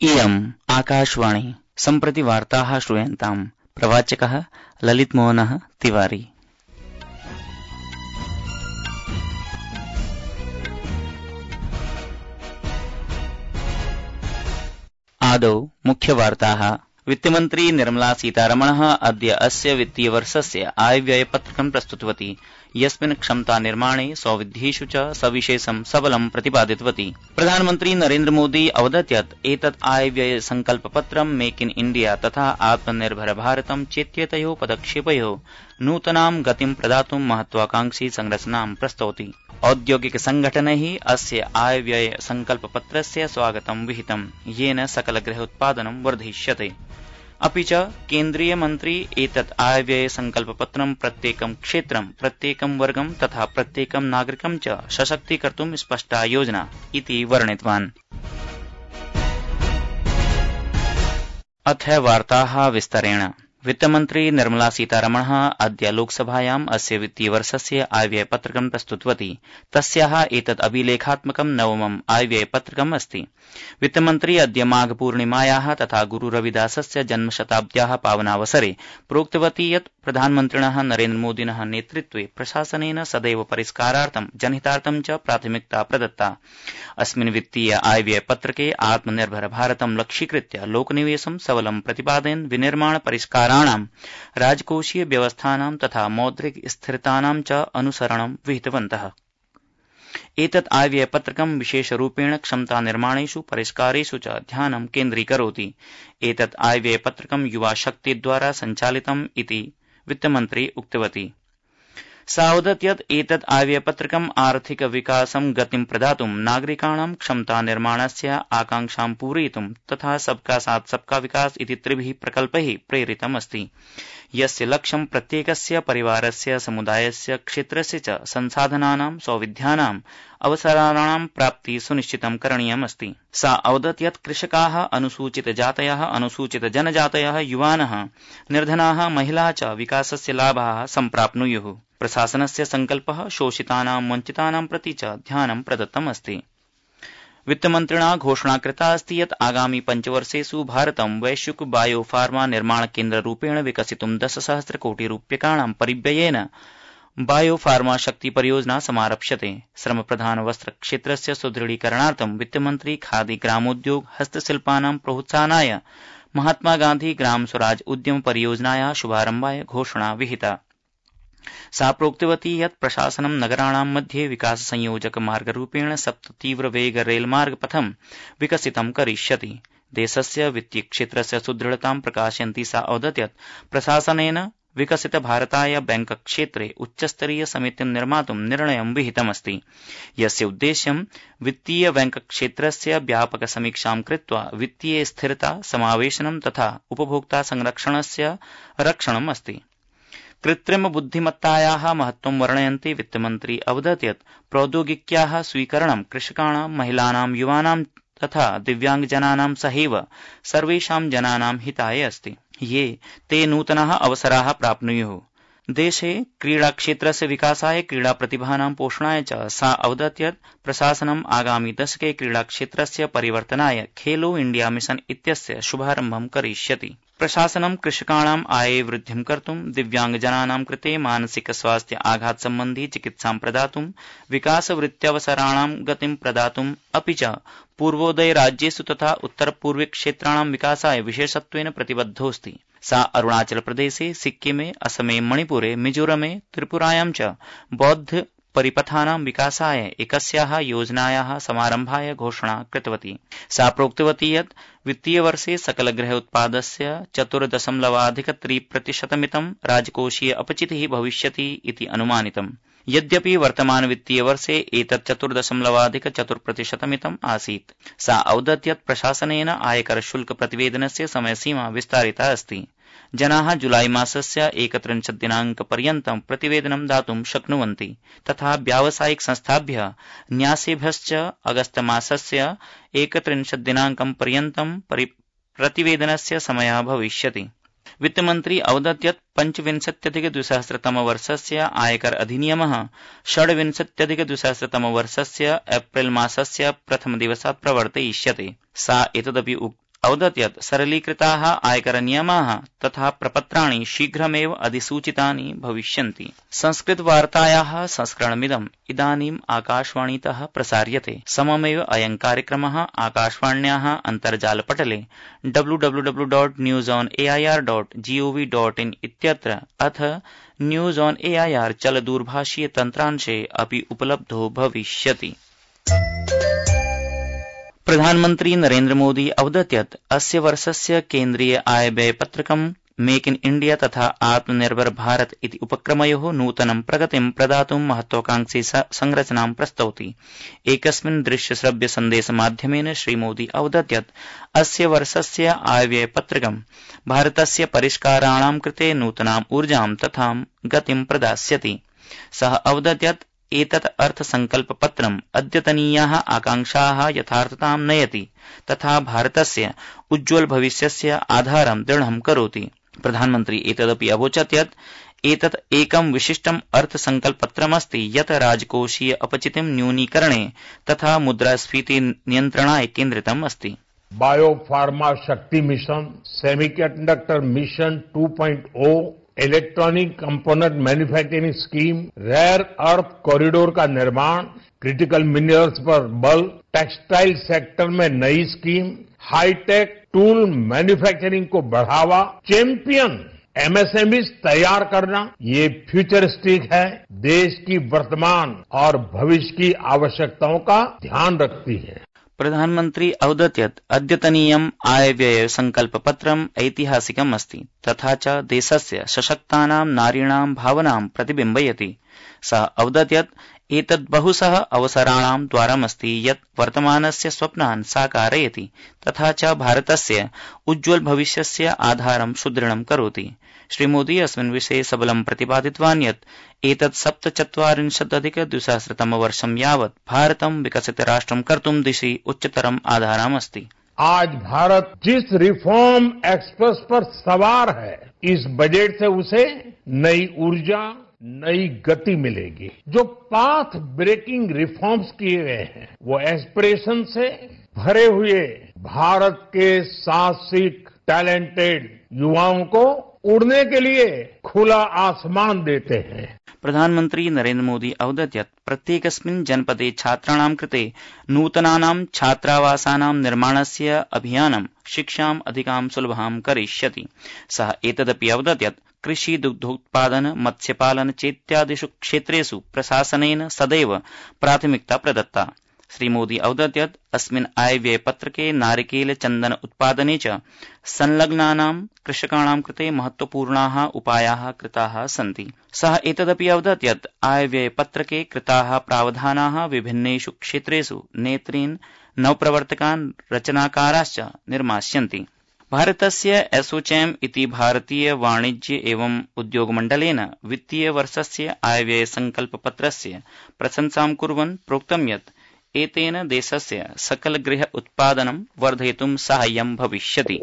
इयम् आकाशवाणी सम्प्रति वार्ताः श्रूयन्ताम्। प्रवाचकः ललितमोहनः तिवारी। आदौ मुख्यवार्ताः। वित्तमन्त्री निर्मला सीतारमणः अद्य अस्य वित्तीयवर्षस्य आयव्ययपत्रकं प्रस्तुतवती, यस्मिन् क्षमतानिर्माणे सौविध्येषु च सविशेषं सबलं प्रतिपादितवती। प्रधानमन्त्री नरेन्द्र मोदी अवदत् यत् एतत् आयव्यय संकल्पपत्रं मेक इन इण्डिया तथा आत्मनिर्भर भारतं चेत्येतयोः पदक्षेपयोः नूतनां गतिं प्रदातुं महत्वाकांक्षी संरचनां प्रस्तौति। औद्योगिक संघटनैः अस्य आयव्यय संकल्पपत्रस्य स्वागतं विहितं, येन सकलगृह उत्पादनं वर्धिष्यते। अपि च केन्द्रीय मन्त्री एतत् आयव्यय संकल्पपत्रं प्रत्येकं क्षेत्रं, प्रत्येकं वर्गं तथा प्रत्येकं नागरिकं च सशक्तीकर्तुं स्पष्टा योजना इति वर्णितवान्। अथ वार्ताः विस्तरेण। वित्तमन्त्री निर्मला सीतारमणः अद्य लोकसभायाम् अस्य वित्तीयवर्षस्य आयव्ययपत्रकं प्रस्तुतवती। तस्याः एतत् अभिलेखात्मकं नवमम् आयव्ययपत्रकम् अस्ति। वित्तमन्त्री अद्य माघपूर्णिमायाः तथा गुरुरविदासस्य जन्मशताब्द्याः पावनावसरे प्रोक्तवती यत् प्रधानमन्त्रिणः नरेन्द्र मोदिनः नेतृत्वे प्रशासनेन सदैव परिष्कारार्थं जनहितार्थं च प्राथमिकता प्रदत्ता। अस्मिन् वित्तीय आयव्ययपत्रके आत्मनिर्भर भारतं लक्ष्यीकृत्य लोकनिवेशं सबलं प्रतिपादयन् विनिर्माण परिष्काराणां, राजकोषीय व्यवस्थानां तथा मौद्रिक स्थिरतानां च अनुसरणं विहितवन्तः। एतत् आयव्ययपत्रकं विशेषरूपेण क्षमतानिर्माणेषु परिष्कारेषु च ध्यानं केन्द्रीकरोति। एतत् आयव्ययपत्रकं युवाशक्तिद्वारा सञ्चालितम् इति वित्तमन्त्री उक्तवती। सा अवदत् यत् एतत् आयव्ययपत्रकम् आर्थिक विकासं गतिं प्रदातुं, नागरिकाणां क्षमतानिर्माणस्य आकांक्षां पूरयितुं तथा सबका साथ सबका विकास इति त्रिभिः प्रकल्पैः प्रेरितमस्ति, यस्य लक्ष्यं प्रत्येकस्य परिवारस्य, समुदायस्य, क्षेत्रस्य च संसाधनानां, सौविध्यानां, अवसराणां प्राप्ति सुनिश्चितं करणीयमस्ति। सा अवदत् यत् कृषकाः, अनुसूचितजातयः, अनुसूचितजनजातयः, युवानः, निर्धनाः, महिलाः च विकासस्य लाभाः सम्प्राप्नुयुः। प्रशासनस्य संकल्पः शोषितानां, वञ्चितानां प्रति च ध्यानं प्रदत्तमस्ति। वित्तमन्त्रिणा घोषणा कृता अस्ति यत् आगामि पञ्चवर्षेषु भारतं वैश्विक बायोफार्मा निर्माण केन्द्ररूपेण विकसितुं 10,000 कोटि रूप्यकाणां परिव्ययेन बायोफार्मा शक्ति परियोजना समारप्स्यते। श्रमप्रधान वस्त्र क्षेत्रस्य सुदृढीकरणार्थं वित्तमन्त्री खादी, ग्रामोद्योग, हस्तशिल्पानां प्रोत्साहनाय महात्मा गांधी ग्राम स्वराज उद्यम परियोजनायाः शुभारम्भाय घोषणा विहिता। सा प्रोक्तवती यत् प्रशासनं नगराणां मध्ये विकास संयोजक मार्गरूपेण 7 तीव्र वेग रेलमार्गपथं विकसितं करिष्यति। देशस्य वित्तीय क्षेत्रस्य सुदृढतां प्रकाशयन्ती सा अवदत् यत् प्रशासनेन विकसित भारताय बैंक क्षेत्रे उच्चस्तरीय समितिं निर्मातुं निर्णयं विहितमस्ति, यस्य उद्देश्यं वित्तीय बैंक क्षेत्रस्य व्यापक समीक्षां कृत्वा वित्तीय स्थिरता, समावेशनं तथा उपभोक्ता संरक्षणस्य रक्षणम् अस्ति। कृत्रिम बुद्धिमत्तायाः महत्त्वं वर्णयन्ती वित्तमन्त्री अवदत् यत् प्रौद्योगिक्याः स्वीकरणं कृषकाणां, महिलानां, युवानां तथा दिव्याङ्गजनानां सहैव सर्वेषां जनानां हिताय अस्ति, ये ते नूतनाः अवसराः प्राप्नुयुः। देशे क्रीडाक्षेत्रस्य विकासाय, क्रीडा प्रतिभानां पोषणाय च सा अवदत् यत् प्रशासनम् आगामि दशके क्रीडाक्षेत्रस्य परिवर्तनाय खेलो इण्डिया मिशन इत्यस्य शुभारम्भं करिष्यति। प्रशासनं कृषकाणां आये वृद्धिं कर्तुं, दिव्याङ्गजनानां कृते मानसिक स्वास्थ्य आघात सम्बन्धी चिकित्सां प्रदातुं, विकासवृत्त्यवसराणां गतिं प्रदातुं, अपि च पूर्वोदय राज्येषु तथा उत्तरपूर्वी क्षेत्राणां विकासाय विशेषत्वेन प्रतिबद्धोऽस्ति। सा अरुणाचल प्रदेशे, सिक्किमे, असमे, मणिपुरे, मिजोरमे, त्रिपुरायां च बौद्ध परिपथानां विकासाय एकस्याः योजनायाः समारम्भाय घोषणा कृतवती। सा प्रोक्तवती यत् वित्तीयवर्षे सकलगृह उत्पादस्य 4.3% राजकोषीय अपचितिः भविष्यति इति अनुमानितम्। यद्यपि वर्तमान वित्तीयवर्षे एतत् 4.4% आसीत्। सा अवदत् यत् प्रशासनेन आयकर शुल्क प्रतिवेदनस्य समयसीमा विस्तारिता अस्ति। जनाः जुलाई मासस्य 31 दिनाङ्कपर्यन्तं प्रतिवेदनं दातुं शक्नुवन्ति तथा व्यावसायिक संस्थाभ्यः, न्यासेभ्यश्च अगस्त मासस्य 31 दिनाङ्कं पर्यन्तं प्रतिवेदनस्य समयः भविष्यति। वित्तमन्त्री अवदत् यत् 25,200 आयकर अधिनियमः 26,200 एप्रिल मासस्य प्रथमदिवसात् प्रवर्तयिष्यते। सा एतदपि अवदत् यत् सरलीकृताः आयकरनियमाः तथा प्रपत्राणि शीघ्रमेव अधिसूचितानि भविष्यन्ति। संस्कृतवार्तायाः संस्करणमिदम् इदानीम् आकाशवाणीतः प्रसार्यते। सममेव अयं कार्यक्रमः आकाशवाण्याः अन्तर्जालपटले www.newsonair.gov.in इत्यत्र अथ न्यूज ऑन एआईआर चलदूरभाषीय तन्त्रांशे अपि उपलब्धो भविष्यति। प्रधानमन्त्री नरेन्द्र मोदी अवदत् यत् अस्य वर्षस्य केन्द्रीय आय व्यय पत्रकं मेक इन इंडिया तथा आत्मनिर्भर भारत इति उपक्रमयोः नूतनं प्रगतिं प्रदातुं महत्वाकांक्षी संरचनां प्रस्तौति। एकस्मिन् दृश्यश्रव्य सन्देशमाध्यमेन श्रीमोदी अवदत् यत् अस्य वर्षस्य आयव्यय पत्रकं भारतस्य परिष्काराणां कृते नूतनाम् ऊर्जां तथा गतिं प्रदास्यति। सः अवदत् यत् एतत् अर्थसंकल्पपत्रम् अद्यतनीयाः आकांक्षाः यथार्थतां नयति तथा भारतस्य उज्ज्वल भविष्यस्य आधारं दृढं करोति। प्रधानमन्त्री एतदपि अवोचत् यत् एतत् एकं विशिष्टम् अर्थसंकल्पपत्रमस्ति यत् राजकोषीय अपचितिं न्यूनीकरणे तथा मुद्रास्फीति नियन्त्रणाय केन्द्रितम् अस्ति। Biopharma Shakti mission, semiconductor mission 2.0, electronic component manufacturing scheme, rare earth corridor का निर्माण, क्रिटिकल मिनरल्स पर बल, टेक्सटाइल सेक्टर में नई स्कीम, हाईटेक टूल मैन्युफैक्चरिंग को बढ़ावा, चैंपियन एमएसएमईज तैयार करना, ये फ्यूचरिस्टिक है, देश की वर्तमान और भविष्य की आवश्यकताओं का ध्यान रखती है। प्रधानमन्त्री अवदत् यत् अद्यतनीयम् आयव्यय संकल्पपत्रम् ऐतिहासिकम् अस्ति तथा च देशस्य सशक्तानां नारीणां भावनां प्रतिबिम्बयति। सः अवदत् यत् एतत् बहुशः अवसराणां द्वारमस्ति यत् वर्तमानस्य स्वप्नान् साकारयति तथा च भारतस्य उज्ज्वल भविष्यस्य आधारं सुदृढं करोति। श्रीमोदी अस्मिन् विषये सबलं प्रतिपादितवान् यत् एतत् 47,200 यावत् भारतं विकसित राष्ट्रं कर्तुं दिशि उच्चतरम् आधारमस्ति। आज भारत जिस रिफॉर्म एक्सप्रेस पर सवार है, इस बजट से उसे नई ऊर्जा, नई गति मिलेगी। जो पाथ ब्रेकिंग रिफॉर्म्स किए गए हैं, वो एस्पिरेशन से भरे हुए भारत के साहसिक टैलेंटेड युवाओं को उड़ने के लिए खुला आसमान देते हैं। प्रधानमन्त्री नरेन्द्र मोदी अवदत् यत् प्रत्येकस्मिन् जनपदे छात्राणां कृते नूतनानां छात्रावासानां निर्माणस्य अभियानं शिक्षाम् अधिकां सुलभां करिष्यति। सः एतदपि अवदत् यत् कृषि, दुग्धोत्पादन, मत्स्यपालन चेत्यादिषु क्षेत्रेषु प्रशासनेन सदैव प्राथमिकता प्रदत्ता। श्रीमोदी अवदत् यत् अस्मिन् आयव्यय पत्रके नारिकेल चन्दन उत्पादने च संलग्नानां कृषकाणां कृते महत्वपूर्णाः उपायाः कृताः सन्ति। सः एतदपि अवदत् यत् आयव्यय पत्रके कृताः प्रावधानाः विभिन्नेषु क्षेत्रेषु नेतॄन् नवप्रवर्तकान् रचनाकाराश्च निर्मास्यन्ति। भारतस्य एसोचैम इति भारतीय वाणिज्य एवं उद्योग मण्डलेन वित्तीय वर्षस्य आयव्यय संकल्पपत्रस्य प्रशंसां कुर्वन् प्रोक्तं यत् एतेन देशस्य सकल गृह उत्पादनं वर्धयितुं साहाय्यं भविष्यति।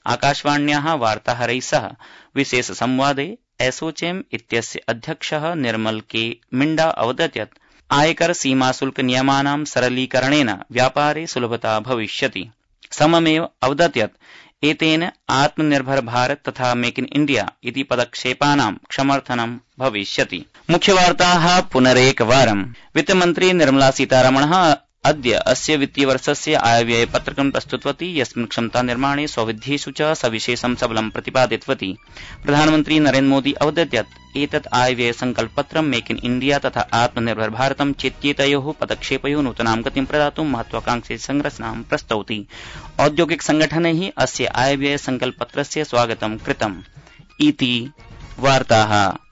आकाशवाण्याः वार्ताहरैः सह विशेष संवादे एसोचैम इत्यस्य अध्यक्षः निर्मल के मिण्डा अवदत् यत् आयकर सीमा शुल्क नियमानां सरलीकरणेन व्यापारे सुलभता भविष्यति। सममेव अवदत् यत् एतेन आत्मनिर्भर भारत तथा मेक इन इंडिया इति पदक्षेपानां समर्थनं भविष्यति। मुख्यवार्ताः पुनरेकवारम्। वित्तमन्त्री निर्मला सीतारमणः अद्य अस्य वित्तीयवर्षस्य आयव्यय पत्रकं प्रस्तुतवती, यस्मिन् क्षमता निर्माणे सौविध्येषु च सविशेषं सबलं प्रतिपादितवती। प्रधानमन्त्री नरेन्द्र मोदी अवदत् यत् एतत् आयव्यय संकल्पपत्रं मेक इन इंडिया तथा आत्मनिर्भर भारतं चेत्येतयोः पदक्षेपयोः नूतनां गतिं प्रदातुं महत्वाकांक्षी संरचनां प्रस्तौति। औद्योगिक संगठनैः अस्य आयव्यय संकल्पपत्रस्य स्वागतं कृतम् इति वार्ताः।